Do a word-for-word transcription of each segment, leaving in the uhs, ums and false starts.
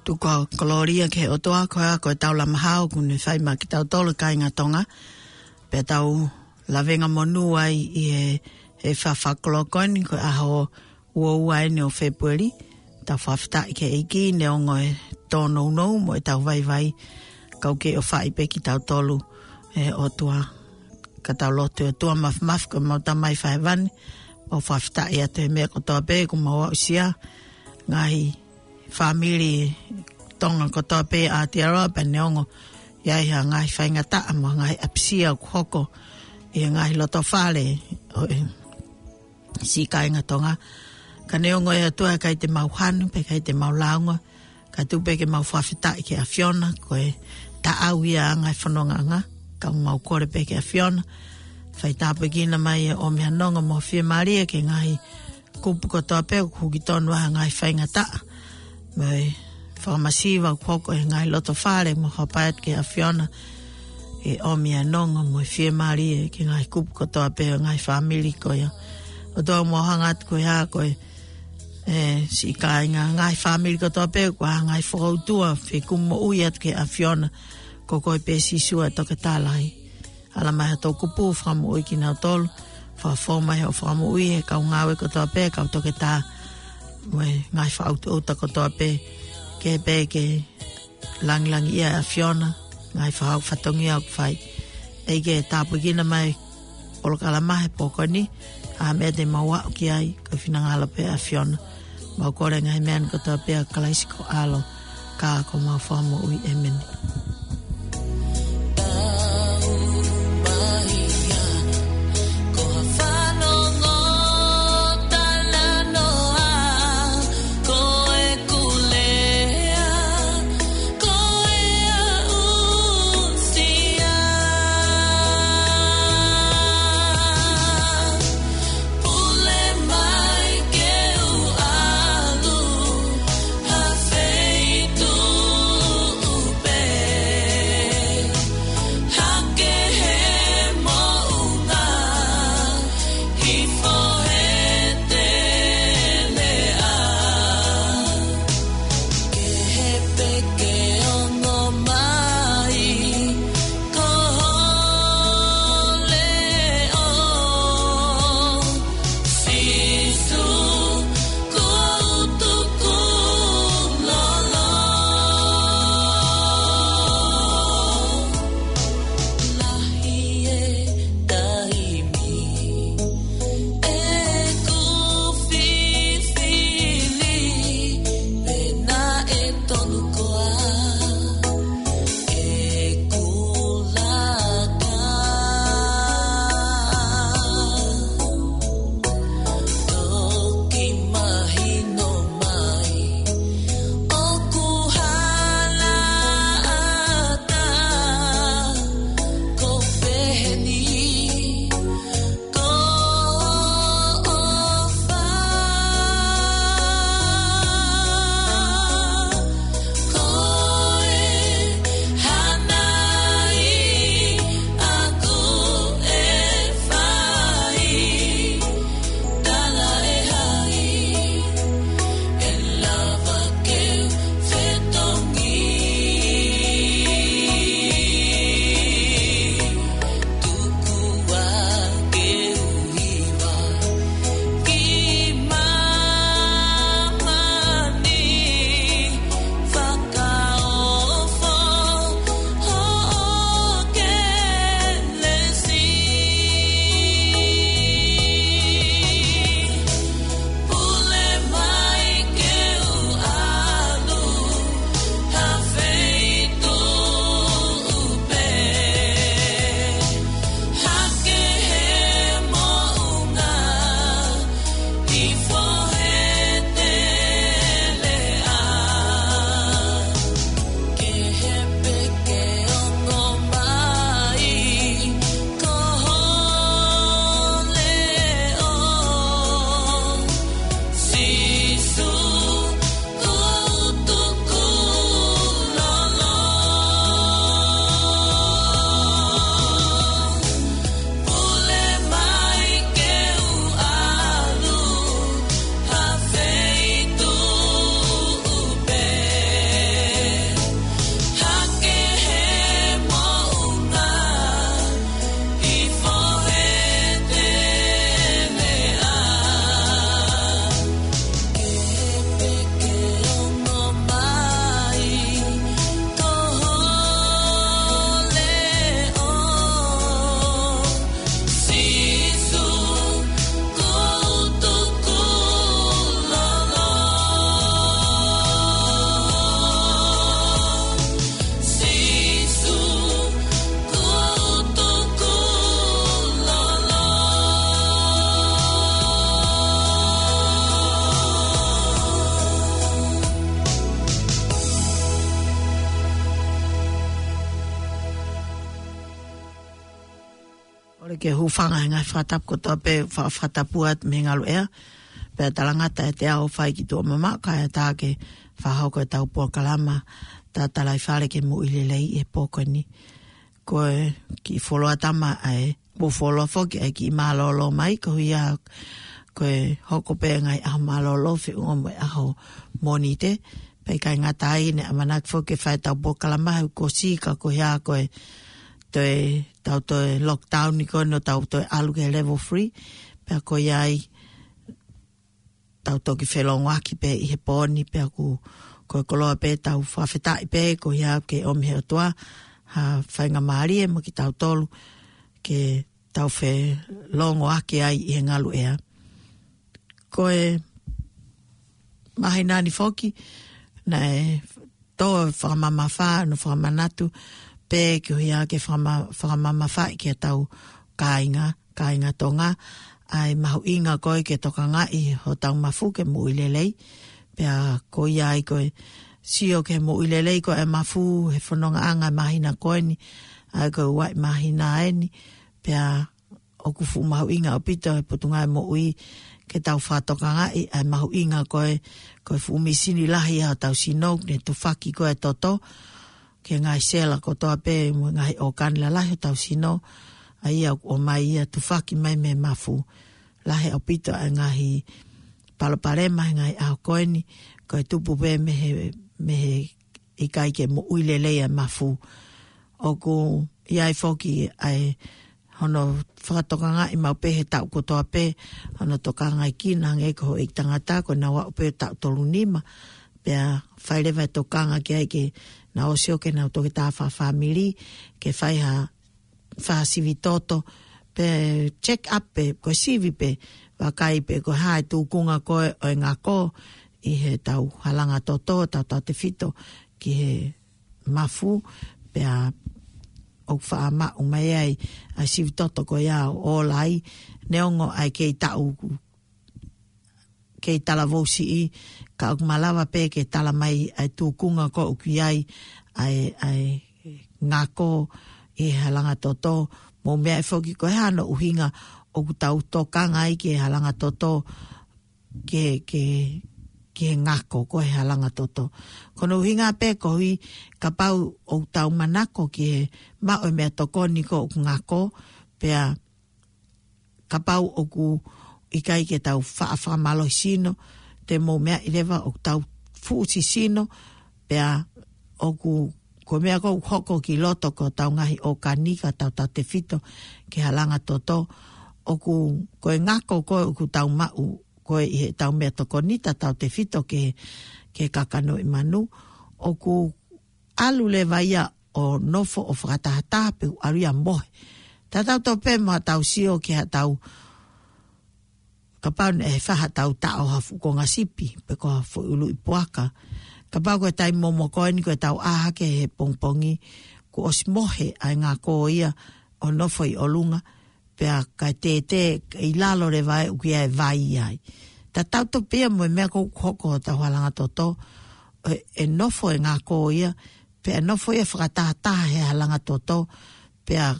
Tuku ʻa e kolōlia ki he ʻOtua, ko ia ko e tau lama hao kuo ne fai maʻa kitautolu kāinga Tonga. Pea tau lavengamonū ai ʻi he, he fafakolokoini ko e ʻaho ua ua eni ʻo Fēpueli. Tau fakafetaʻi ki he ʻEiki neongo e tōnounou mo e tau vaivai. Kau ke ʻofaʻi pē kitautolu ʻe he ʻOtua. Ka tau lotu. ʻOtua mafimafi ko homau Tamai fakahēvani. Mau fakafetaʻi atu he meʻa kotoa pē kuo mau aʻusia. Ngaahi fāmili Tonga kotoa pē ʻa Aotearoa pea neongo ʻi ai ha ngaahi faingataʻa mo e ngaahi ʻapisia ʻoku hoko ʻi he ngaahi lotofale ʻo e siʻi kāinga Tonga. Ka neongo ʻe ʻOtua ʻikai te mau hanu, pea ʻikai te mau lāunga, ka tuku pē ke mau fakafetaʻi ki he ʻAfiona, ko e taʻau ia ʻa e ngaahi fonongaʻanga, ka mau kole pē ki he ʻAfiona, fai tāpuekina mai ʻo ʻomi ha nonga mo e fiemālie ki he ngaahi kupu kotoa pē ʻoku huki tonu ai ha ngaahi faingataʻa. Mo e fakamasiva ʻoku hoko ʻi he ngaahi lotofale mo hapai atu ki he ʻAfiona, ʻe ʻomi ʻa e nonga mo e fiemālie ki he ngaahi kupu kotoa pē ʻo e ngaahi fāmili ko ia. ʻOtua mau hanga atu ko e hā ko e, e, siʻi kāinga ngaahi fāmili kotoa pē, ko e ngaahi fokoutua, fekumi moʻui atu ki he ʻAfiona, ko koe pē Sīsū ʻa e toketā lahi. Ala mai ha tau kupu fakamoʻui kinautolu, fakafou mai ho fakamoʻui he kau ngāue kotoa pē, kau toketā, mo e ngaahi fakaʻutoʻuta kotoa pē, ke pē ke langilangiʻia ʻa e ʻAfiona, ngaahi fakau fatongia ʻoku fai. ʻEiki ke tāpuekina mai polokalama he pō ko eni, ʻa e meʻa te mau aʻu ki ai, ko e finangalo pē ʻa e ʻAfiona. Mau kole ngaahi meʻa ni kotoa pē ʻia Kalaisi ko ho ʻAlo, ka ko homau Fakamoʻui, ʻēmeni. Ke hūfanga he ngaahi fakatapu kotoa pē, fa-, fakatapu atu mei he ngaluʻea. Pea talangata e te ao fai ki tuʻa mamaʻo kae ʻatā ke fakahoko ʻetau polokalama tatalaifale ki he moʻui lelei he pō ko eni. Ko e kiʻi fuoloa tama ʻa e, mo fuoloa foki ʻa e kiʻi mālōlō mai, ko ia ko e hoko pē ngaahi ʻaho mālōlō feʻunga mo e ʻaho Mōnite. Pea ʻikai ngata ai, ne ʻamanaki foki ke fai ʻetau polokalama he kuo ʻosi ka ko ia ko e toe, tau toe lockdown ni ko eni ʻo tau toe ʻalu ki he level three. Pea ko ia ai, tau toki felongoaki pē ʻi he pō ni, pea ʻoku, ko e koloa pē, tau fakafetaʻi pē, ko ia ke ʻomi he ʻOtua ha faingamālie maʻa kitautolu ke tau felongoaki ai ʻi he ngaluʻea. Ko e māhina ni foki, naʻe tō fakamamafa, ʻa hono fakamanatu pē ko ia ke fakama-, fakamamafaʻi ki heʻetau kāinga, kāinga Tonga, ʻa e mahuʻinga ko ē ke tokangaʻi hotau mafu ki he moʻui lelei. Pea ko ia ai ko e sio ki he moʻui lelei ko e mafu he fonongaʻanga māhina ko eni, ʻa e ko e ua ʻi māhina eni, pea ʻoku fuʻu mahuʻinga ʻaupito he Potungāue Moʻui ke tau fakatokangaʻi ʻa e mahuʻinga ko e, ko e fuʻu mīsini lahi ʻa hotau sino, ne tufaki ko e toto ki he ngaahi sela kotoa pē mo e ngaahi ʻōkani lalahi hotau sino, ʻa ia ʻoku ʻomai ia, tufaki mai mei he mafu. Lahi ʻaupito ʻa e ngaahi palopalema he ngaahi ʻaho ko eni, ko e tupu pē mei he, mei he ʻikai ke moʻui lelei ʻa e mafu. ʻOku ʻi ai foki ʻa e hono fakatokangaʻi maʻu pē he taʻu kotoa pē, hono tokangaʻi kina hangē ko e houʻeiki tangata, ko ʻenau aʻu pē taʻu tolu nima, pea fai leva e tokanga ki ai ke nau ō ʻo sio ki heʻenau toketā fakafāmili, ke fai ha, ha sivi toto, pe check up pē, ko e sivi pē, vakai pē ko e hā e tūkunga ko ē ʻo e ngako ʻi heʻetau halanga toto, tautautefito ki he mafu, pea ʻoku faʻa maʻu mai ai ʻa e sivi toto ko ia ʻo ʻola ai, neongo ʻa e kei taʻu, kei talavou siʻi, ka ʻoku malava pē ke tala mai ʻa e tūkunga ko ē ʻoku ʻi ai ʻa e, ʻa e ngako ʻi he halanga toto. Mou meaʻi foki ko e hā hono ʻuhinga ʻoku tau tokanga ai ki he halanga toto, ki he, ki he, ki he ngako ko e halanga toto. Ko hono ʻuhinga pē koeʻuhi kapau ʻoku tau manako ki he maʻu e meʻatokoni ko ē ʻoku ngako, pea kapau ʻoku ʻikai ke tau faʻa fakamālohi sino, te mou meaʻi leva ʻoku tau fuʻu sisino, pea ʻoku, ko e meʻa ko ē ʻoku hoko ki loto ko hotau ngaahi ʻōkani ka tautautefito ki he halanga toto, ʻoku, ko e ngako ko ē ʻoku tau maʻu ko ē ʻi heʻetau meʻatokoni tautautefito ki he, ki he kakano ʻi manu, ʻoku ʻalu leva ia ʻo nofo ʻo fakatahataha pe ʻalu ia ʻo mohe. Tatau tofu pē mo haʻatau sio ki haʻatau, kapau naʻe fai haʻatau taʻo ha fuʻu konga sipi, pe ko ha foʻi ʻuluʻi puaka. Kapau ko e taimi momoko eni ko ʻetau ʻā hake he pongipongi, kuo ʻosi mohe ʻa e ngako ia ʻo nofo ʻi ʻolunga, pea kae tētē ʻi lalo leva ē ʻoku ʻi ai e vai ai. Tatau tofu pē ia mo e meʻa ko ē ʻoku hoko hotau halanga toto, ʻe, ʻe nofo e ngako ia, pea nofo ia fakatahataha he halanga toto, pea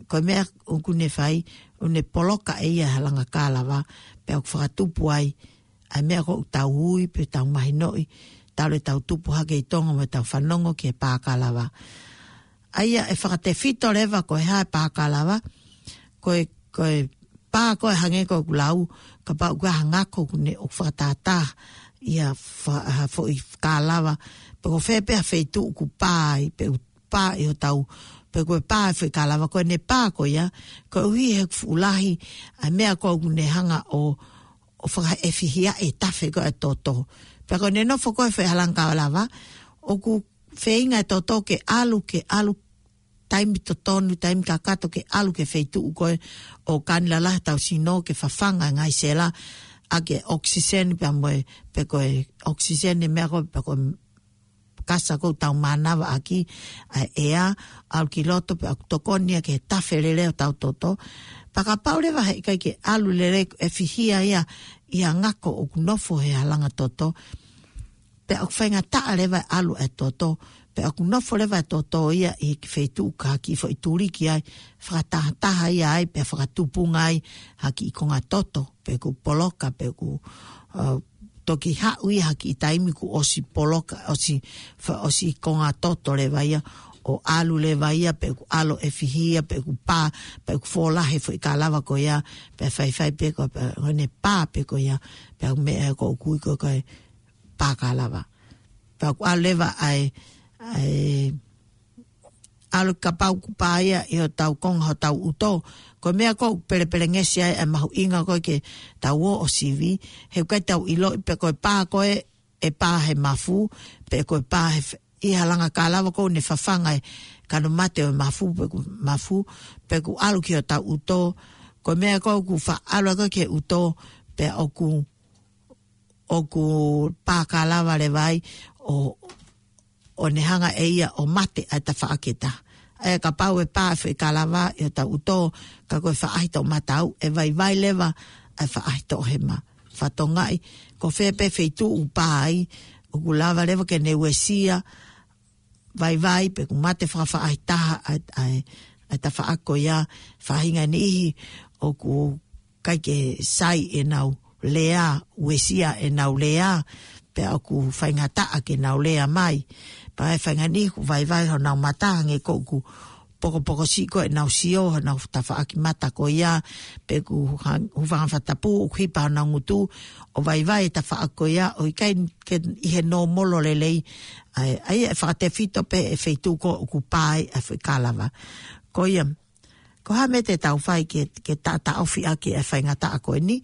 ko e meʻa ʻoku ne fai, ʻoku ne poloka ʻe ia e halanga kalava, pea ʻoku fakatupu ai ʻa e meʻa ko ē ʻoku tau ui pe tau mahinoʻi, talu ʻetau tupu hake ʻi Tonga mo ʻetau fanongo ki he pā kalava. ʻA ia ʻe fakatefito leva ko e hā e pā kalava, ko e, ko e pā ko ē hangē ko ʻeku lau, kapau ʻoku ʻi ai ha ngako ʻoku ne ʻoku fakatahataha ia fa-, ha foʻi kalava, pe ko fē pē ha feituʻu ʻoku pā ai, pe ʻoku pā ʻi hotau, pe ko e pā e foʻi kalava, ko ʻene pā ko ia, koeʻuhi he ʻoku fuʻu lahi ʻa e meʻa ko ē ʻoku ne hanga ʻo, ʻo fakaʻefihia e tafe ko ē ʻa e toto. Pea ko ʻene nofo ko ē he foʻi halanga kalava, ʻoku feinga e toto ke ʻalu, ke ʻalu taimi totonu, taimi kakato ke ʻalu ki he feituʻu ko ē ʻoku ʻi ai e ʻōkani lalahi hotau sino ke fafanga e ngaahi sela ʻaki e ʻokisiseni pea mo e, pe ko e ʻokisiseni e meʻa ko ē, pe ko e kasa ko ē ʻoku tau mānava ʻaki, ʻa e ʻea, ʻalu ki loto pea ʻoku tokoni ia ki he tafe lelei hotau toto. Pea kapau leva he ʻikai ke ʻalu lelei, ʻefihia ia ʻi ha ngako ʻoku nofo he halanga toto, pea ʻoku faingataʻa leva e ʻalu e toto, Pea ʻoku nofo leva e toto ia ʻi he kiʻi feituʻu ka kiʻi foʻi tuliki ai, fakatahataha ia ai, pea fakatupunga ai ha kiʻi konga toto, pe ʻoku poloka, pe ʻoku, uh, toki haʻu ia ha kiʻi taimi kuo ʻosi poloka, ʻosi, fa-, ʻosi konga toto leva ia, ʻo ʻalu leva ia, pe ʻoku ʻalu ʻo fihia, pe ʻoku pā, pe ʻoku fōlahi e foʻi kalava ko ia, pea faifai pē ko, pea ʻoku ne pā pē ko ia, pea ʻoku meʻa ko ʻoku ui ko e pā kalava. Pea ʻoku ʻalu leva ʻa e, ʻa e, ʻalu kapau ʻoku pā ia ʻi hotau konga hotau ʻuto. Ko e meʻa ko ē ʻoku pelepelengesi ai e mahuʻinga ko ē ke tau ō ʻo sivi. He ʻoku ʻikai te tau ʻiloʻi pe ko e pā ko ē ʻe pā he mafu, pe ko e pā he f-, ʻi ha langa kalava ko ē ʻoku ne fafanga e kano mate ʻo e mafu, pe ʻoku mafu, pe ʻoku ʻalu ki hotau ʻuto. Ko e meʻa ko ē ʻoku faʻa ʻalu ko ē ki he ʻuto, pea ʻoku ʻoku pā kalava leva ai ʻo, ʻo ne hanga ʻe ia ʻo mate ʻa e tafaʻaki ʻe taha. ʻA ia kapau ʻe pā e foʻi kalava ʻi hotau ʻuto, ka ko e faʻahi toʻomataʻu, ʻe vaivai leva ʻa e faʻahi toʻohema. Fatongia, ko fē pē feituʻu ʻoku pā ai, ʻoku lava leva ke ne uesia, vaivai, pe ʻoku mate fakafaʻahitaha ʻa e, ʻa e, ʻa e tafaʻaki ko ia, faʻahinga e niʻihi ʻoku ʻikai ke sai ʻenau lea, uesia ʻenau lea, pea ʻoku faingataʻa ke nau lea mai. Pea ʻe faʻahinga e niʻihi ʻoku vaivai honau mata, hangē ko ʻoku pokopoko siʻi ko ē ʻenau sio, honau tafaʻaki mata ko ia, pe ʻoku ha-, hūfanga he fakatapu, ʻoku hipa honau ngutu, ʻo vaivai e tafaʻaki ko ia, ʻo ʻikai ke ʻi he nōmolo lelei, ʻa e, ʻa ia ʻe fakatefito pē e feituʻu ko ē ʻoku pā ai e foʻi kalava. Ko ia, ko e hā e meʻa te tau fai ke, ke taʻataʻofi ʻaki e faingataʻa ko eni,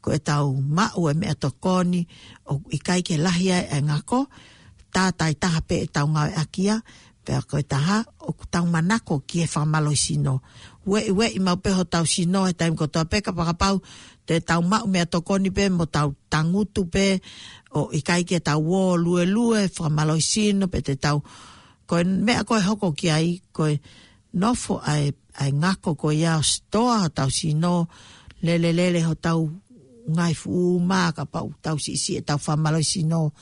ko ʻetau maʻu e meʻatokoni, ʻoku ʻikai ke lahi ai e ngako, tātātaha pē ʻetau ngāueʻaki ia, pea ko e taha, ʻoku tau manako ki he fakamālohisino. Ueʻi, ueʻi maʻu pē hotau sino he taimi kotoa pē kapakapau, te tau maʻu meʻatokoni pē mo tau tangutu pē, ʻo ʻikai ke tau ō luelue, fakamālohisino, pe te tau, ko e meʻa ko ē ʻe hoko ki ai, ko e nofo ʻa e, ʻa e ngako ko ia ʻo sitoa hotau sino, lelelele hotau ngaahi fuʻu uma, kapau tau siʻisiʻi ʻetau fakamālohisino,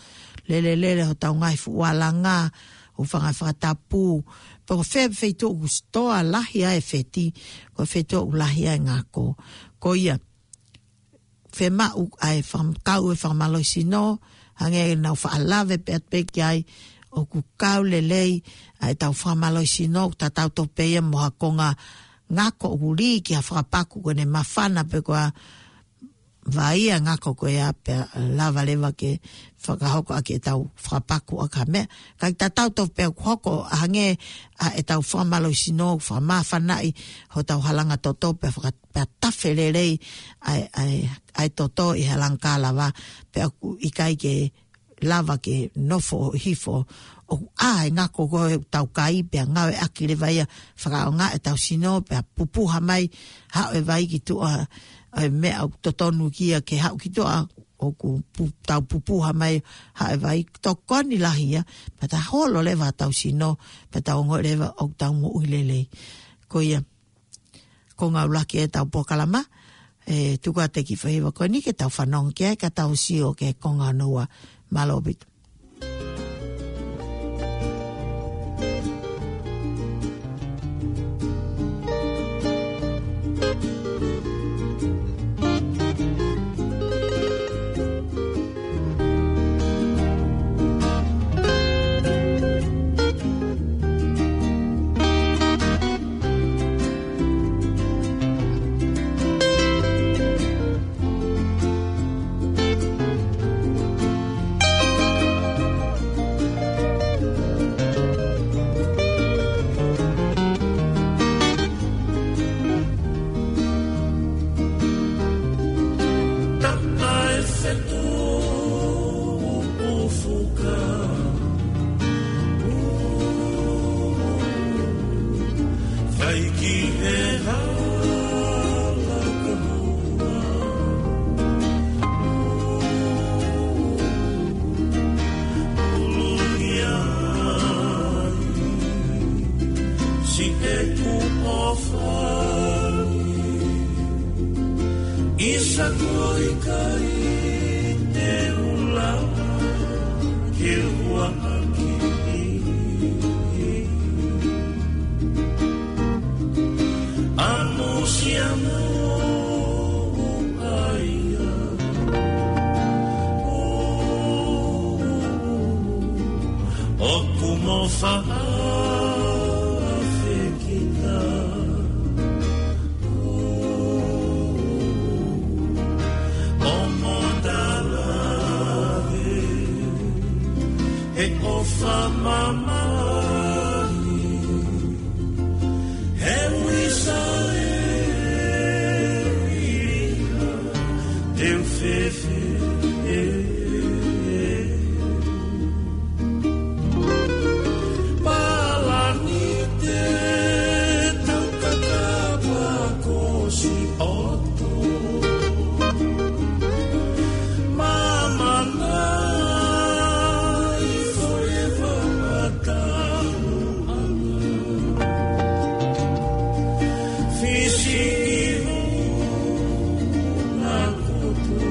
lelelele hotau ngaahi fuʻu alanga, hūfanga he fakatapu, pe ko fē feituʻu ʻoku sitoa lahi ai e feti, ko e feituʻu ʻoku lahi ai e ngako. Ko ia, fiemaʻu ʻa e fakam-, kau e fakamālohisino, hangē ʻenau faʻa lave pē atu pē ki ai, ʻoku kau lelei ʻa ʻetau fakamālohisino, ʻoku tatau tofu pē ia mo ha konga ngako ʻoku lī ki ha fakapaku ko ʻene māfana pe ko e vaʻe ia ngako ko ia pea lava leva ke fakahoko ʻaki ʻetau fakapaku ʻaki ha meʻa. Ka ʻoku tatau tofu pē ʻoku hoko ʻa hangē ʻa ʻetau fakamālohisino, fakamāfanaʻi hotau halanga toto pea faka-, pea tafe lelei ʻa e, ʻa e, ʻa e toto ʻi he halanga kalava, pea ʻoku ʻikai ke lava ke nofo ʻo hifo. ʻOku ʻā e ngako ko ē ʻoku tau kai pea ngāueʻaki leva ia fakaʻaongaʻi ʻetau sino pea pupuha mai, haʻu e vai ki tuʻa, ʻa e meʻa ʻoku totonu ki ai ke haʻu ki tuʻa, ʻoku pu-, tau pupuha mai, haʻu e vai, tokoni lahi ia, pea ta holo leva ʻetau sino, pea tau ongoʻi leva ʻoku tau moʻui lelei. Ko ia, ko e ngāue lahi ʻetau polokalama, ʻe tuku atu e kiʻi faʻahinga ko eni ke tau fanongo ki ai ka tau sio ki he konga hono ua. Mālō ʻaupito. Tapa e fetuʻu fuka. Fai ki he hala ka hua. Ulu ia. Si te ku ofani. Isa ko i kai te ula. Ke hua aki. ʻAfekita. ʻO motala he ʻofa mamahi. He wisa e ila te u fefe. Palani te taukaka pa kosi ʻoto. Mamana i forever ata. Fisi i vuna koto.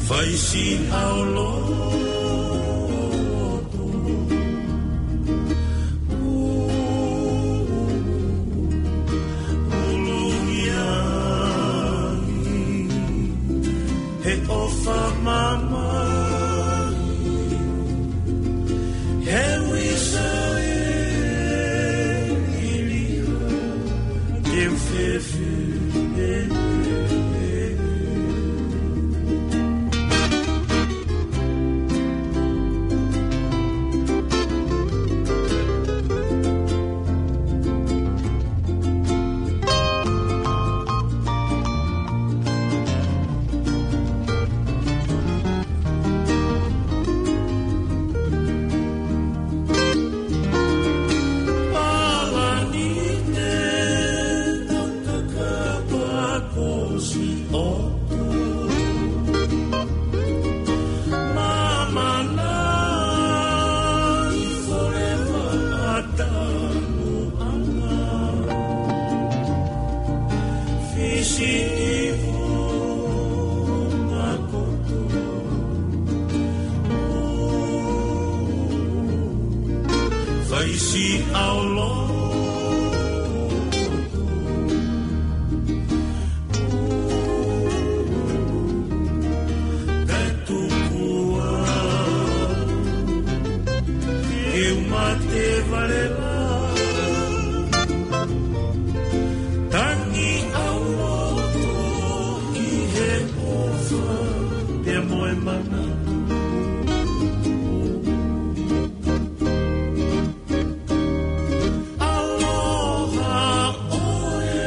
Faisi au loto. Ulungia he ʻofa mamahi. He wisa e ila te u fefe. Palani te taukaka pa kosi ʻoto. Mamana i forever ata. Fisi i vuna koto. Faisi au loto. Kae tuku au ke u mate vale la. Tangi au loto ki he ʻofa pea mo e manatu. Aloha ʻoe.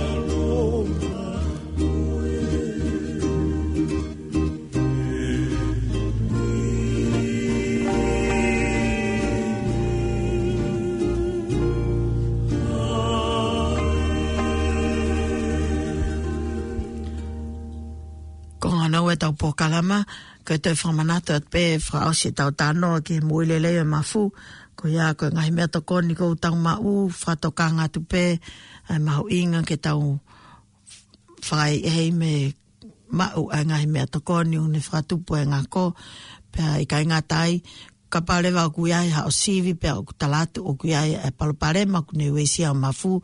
Aloha ʻoe. Ko hono ua ʻetau polokalama, ko e toe fakamanatu atu pē fakaʻosi ʻetau talanoa ki he moʻui lelei ʻo e mafu, ko ia ko e ngaahi meʻatokoni ʻoku tau maʻu, fakatokanga atu pē, ʻa e mahuʻinga ke tau fai ʻi he mei maʻu ʻa e ngaahi meʻatokoni ʻoku ne fakatupu e ngako, pea ʻikai ngata ai, kapau leva ʻoku ʻi ai haʻo sivi, pea ʻoku tala atu ʻoku ʻi ai e palopalema ʻoku ne uesia ʻa e mafu,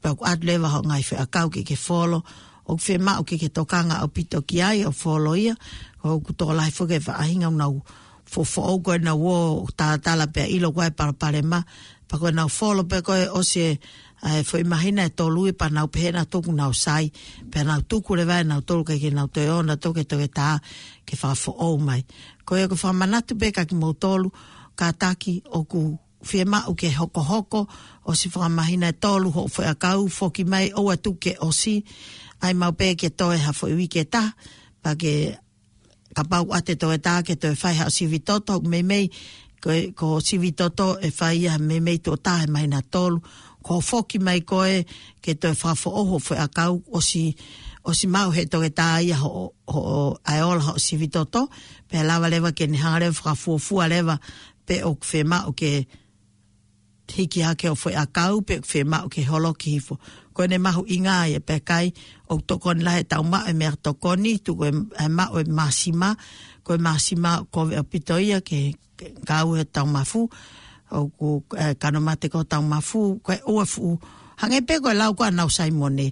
pea ʻoku ʻatu leva hoʻo ngaahi feʻakau ke ke folo, ʻoku fiemaʻu ke ke tokanga ʻaupito ki ai ʻo folo ia, ʻoku tokolahi foki e faʻahinga ʻoku nau fofoʻou ko ē ʻenau ō ʻo talatala pea ʻilo ko e palopalema, pea ko ʻenau folo pē ko ē ʻosi e, ʻa e foʻi māhina ʻe tolu ia pea nau pehē nautolu ʻoku nau sai, pea nau tuku leva ʻe nautolu ke, ke nau toe ō nautolu ki he toketā ke fakafoʻou mai. Ko ia ʻoku fakamanatu pē kia kimoutolu, kātaki ʻoku fiemaʻu ke hokohoko ʻosi fakamāhina ʻe tolu hoʻo foʻiʻakau, foki mai ʻoua tuku ke ʻosi, ʻai maʻu pē ke toe ha foʻi uike ʻe taha, pea ke kapau ʻoku ʻoatu e toketā ke toe fai haʻo sivi toto, ʻoku meimei, ko, ko sivi toto ʻe fai ia meimei tuʻo taha he māhina ʻe tolu, ko e foki mai ko ē ke toe fakafoʻou hoʻo foʻiʻakau ʻosi, ʻosi maʻu he toketā ia hoʻo, hoʻo ʻai ʻo ʻola hoʻo sivi toto, pea lava leva ke ne hanga leva fakafuofua leva pe ʻoku fiemaʻu ke hiki hake hoʻo foʻiʻakau pe ʻoku fiemaʻu ke holoki hifo. Ko ʻene mahuʻinga ia pea ʻikai ʻoku tokoni lahi ʻetau maʻu e meʻatokoni, tuku e, e maʻu e māsima, ko e māsima ʻoku kovi ʻaupito ia ke, ke kau he tau mafu, ʻoku, e, kano mate ko e tau mafu, ko e ua fuʻu. Hangē pē ko e lau ko ē ʻa Nau Saimone,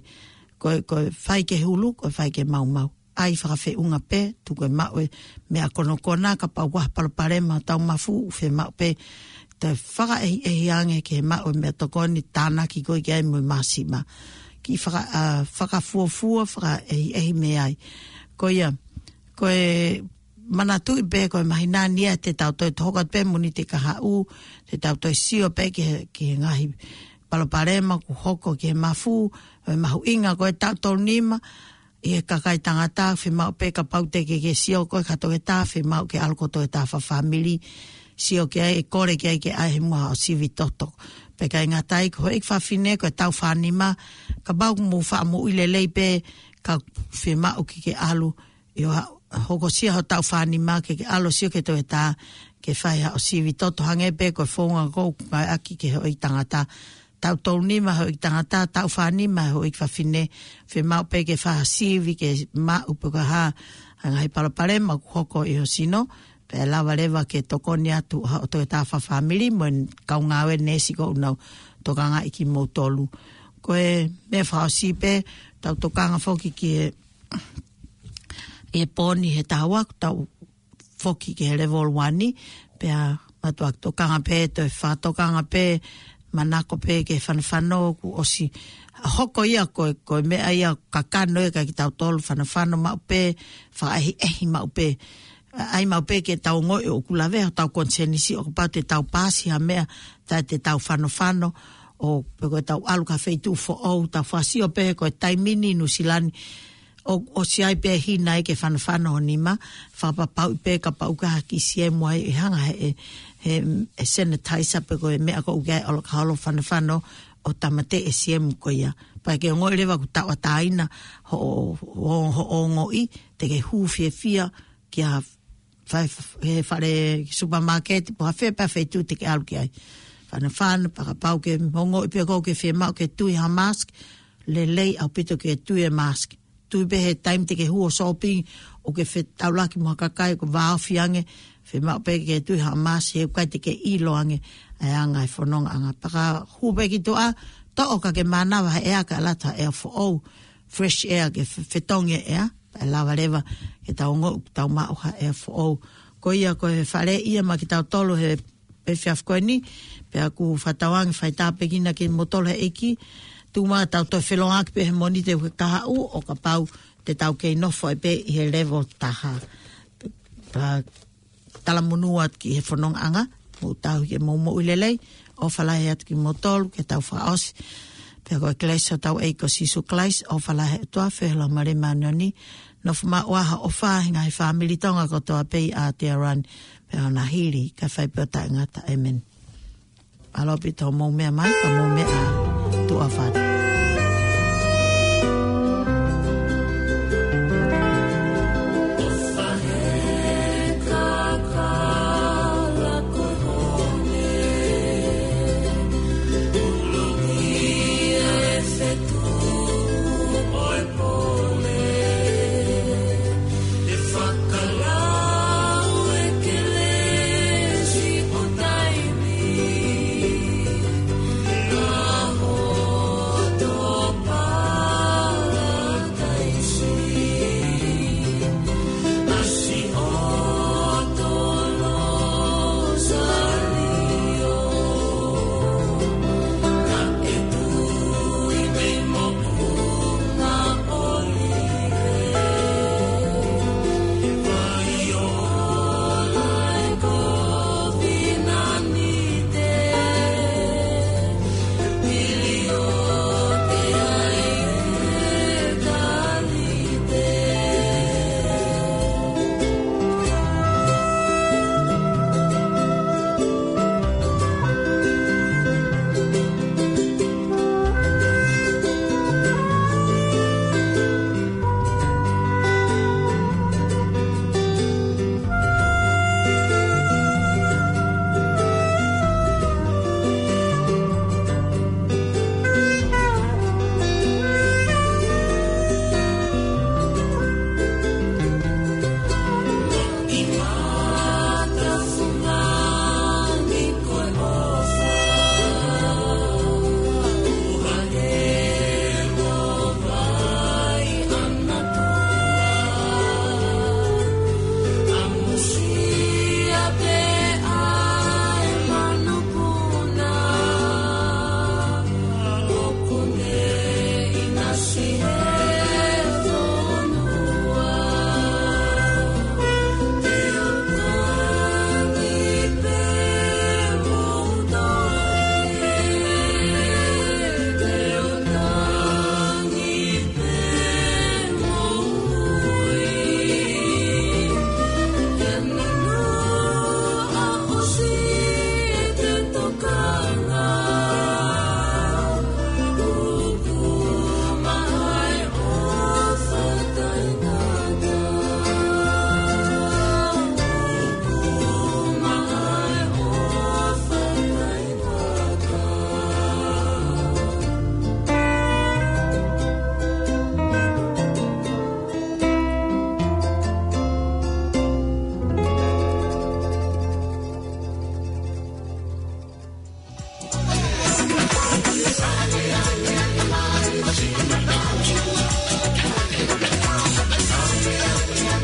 ko e, ko e fai ki he hulu, ko e fai ki he maumau. ʻAi fakafeʻunga pē, tuku e maʻu e meʻa konokona, kapau ʻoku ʻi ai ha palopalema ʻi hotau mafu, ʻoku fiemaʻu pē ke fakaʻehiʻehi ange ke maʻu e meʻatokoni tānaki ko ē ki ai mo e māsima. Kiʻi faka-, ʻa, fakafuofua, fakaʻehiʻehi mei ai. Ko ia, ko e manatuʻi pē ko e māhina ni ia te tau toe tohoka pē Mōnite kahaʻu, te tau toe sio pē ki he, ki he ngaahi palopalema ʻoku hoko ki he mafu, ʻo e mahuʻinga ko e taʻu tolu nima, ʻi he kakai tangata, fiemaʻu pē kapau te ke, ke sio koe ki ha toketā, fiemaʻu ke ʻalu ki ho toketā fakafāmili, sio ki ai, ʻe kole ki ai ke ʻai he muʻa ʻo sivi toto. Pea ʻikai ngata ai, ko e houʻeiki fafine, ko e taʻu fā nima, kapau ʻoku mou faʻa moʻui lelei pē, ka fiemaʻu ke ke ʻalu, ʻio ha, hokosia ho taʻu fā nima ke ke ʻalu sio ki he toketā, ke fai haʻo sivi toto hangē pē ko e founga ʻoku ngāueʻaki ki he houʻeiki tangata. Taʻu tolu nima houʻeiki tangata, taʻu fā nima houʻeiki fafine, fiemaʻu pē ke fai ha sivi ke maʻu pe ko e hā, ha ngaahi palopalema ʻoku hoko ʻi ho sino, pea lava leva ke tokoni atu haʻo toketā fakafāmili mo e kau ngāue neesi ʻoku nau tokangaʻi kimoutolu. Ko e meʻa fakaʻosi pē, tau tokanga foki ki he, ʻi he pō ni he taha ua, tau foki ki he level one ni, pea mātuʻaki tokanga pē, toe fakatokanga pē, manako pē ki he fanofano kuo ʻosi hoko ia ko e, ko e meʻa ia kakano ia kiate kitautolu fanofano maʻu pē, fakaʻehiʻehi maʻu pē. ʻAi maʻu pē ke tau ongoʻi ʻoku lavea hotau konisēnisi ʻo kapau te tau paasi ha meʻa, taʻe te tau fanofano, ʻo pe ko e tau ʻalu ki ha feituʻu foʻou, tau fakasio pē ko e taimi ni Nuʻusila ni, ʻo, ʻosi ʻai pē hina ai ke fanofano ho nima, fakapapauʻi pē kapau ʻoku ʻi ai ha kiʻi siemu ai ʻe hanga he, he, he sanitizer pe ko e meʻa ko ē ʻoku ʻi ai ʻalokaholo fanofano ʻo tāmateʻi e siemu ko ia. Pea ke ongoʻi leva ʻoku tauʻatāina hoʻo, hoʻo, hoʻo ongoʻi, te ke hū fiefia ki ha fai, he fale supermarket, pe ko ha fē pē feituʻu te ke ʻalu ki ai. Fanofano, pea kapau ʻoku ke ongoʻi pē ʻoku ke fiemaʻu ke tui ha mask, lelei ʻaupito ke tui e mask. Tui pē he taimi te ke hū ʻo shopping, ʻoku ke fetaulaki mo ha kakai ʻoku vāofi ange, fiemaʻu pē ke tui ha mask, he ʻoku ʻikai te ke ʻilo ange ʻa e anga e fonongaʻanga. Pea ka hū pē ki tuʻa, toʻo ka ke mānava he ʻea, ka ʻalu atu ha ʻea foʻou, fresh air, ke fe-, fetongi e ʻea, pea lava leva ke tau ongoʻi ʻoku tau maʻu ha ʻea foʻou. Ko ia ko e fale ia maʻa kitautolu he efiafi ko eni, pea ʻoku fakatauange fai tāpuekina kimoutolu he ʻEiki, tuku muʻa tau toe feʻiloaki pē he Mōnite ki he kahaʻu ʻo kapau te tau kei nofo ai pē ʻi he level taha. Pea talamonū atu ki he fonongaʻanga, mou tauhi ke mou moʻui lelei, ʻofa lahi atu kimoutolu, ke tau fakaʻosi. Pea ko e kelesi ʻa hotau ʻEiki ko Sīsū Kalaisi, ʻofa lahi ʻa e ʻOtua, feohi ʻa e Laumālie Māʻoniʻoni, nofo maʻu ʻa e ʻofa ʻi he ngaahi fāmili Tonga kotoa pē ʻi ʻAotearoa ni, pea ʻo na hili, kae fai pē ʻo taʻengata. ʻĒmeni. Mālō ʻaupito hoʻomou meʻa mai, ka mou meʻa tuʻa ʻofa atu.